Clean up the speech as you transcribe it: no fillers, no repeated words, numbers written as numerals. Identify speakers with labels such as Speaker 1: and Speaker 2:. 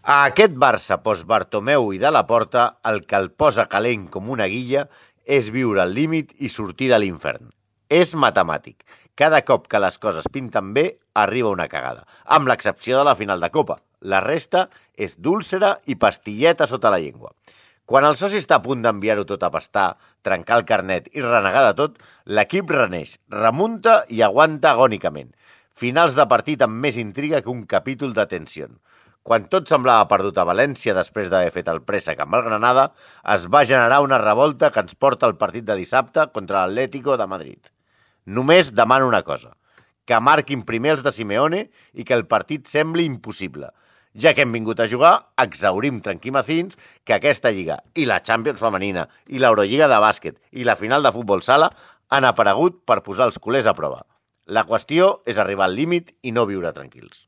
Speaker 1: A aquest Barça post-Bartomeu i de Laporta, el que el posa calent com una guilla és viure al límit i sortir de l'infern. És matemàtic. Cada cop que les coses pinten bé, arriba una cagada, amb l'excepció de la final de Copa. La resta és dúlcera i pastilleta sota la llengua. Quan el soci està a punt d'enviar-ho tot a pastar, trencar el carnet i renegar de tot, l'equip reneix, remunta i aguanta agònicament. Finals de partit amb més intriga que un capítol de tensió. Quan tot semblava perdut a València després d'haver fet el préssec amb el Granada, es va generar una revolta que ens porta al partit de dissabte contra l'Atlético de Madrid. Només demano una cosa, que marquin primer els de Simeone i que el partit sembli impossible. Ja que hem vingut a jugar, exhaurim tranquimacins que aquesta lliga i la Champions femenina i l'Eurolliga de bàsquet i la final de futbol sala han aparegut per posar els culers a prova. La qüestió és arribar al límit i no viure tranquils.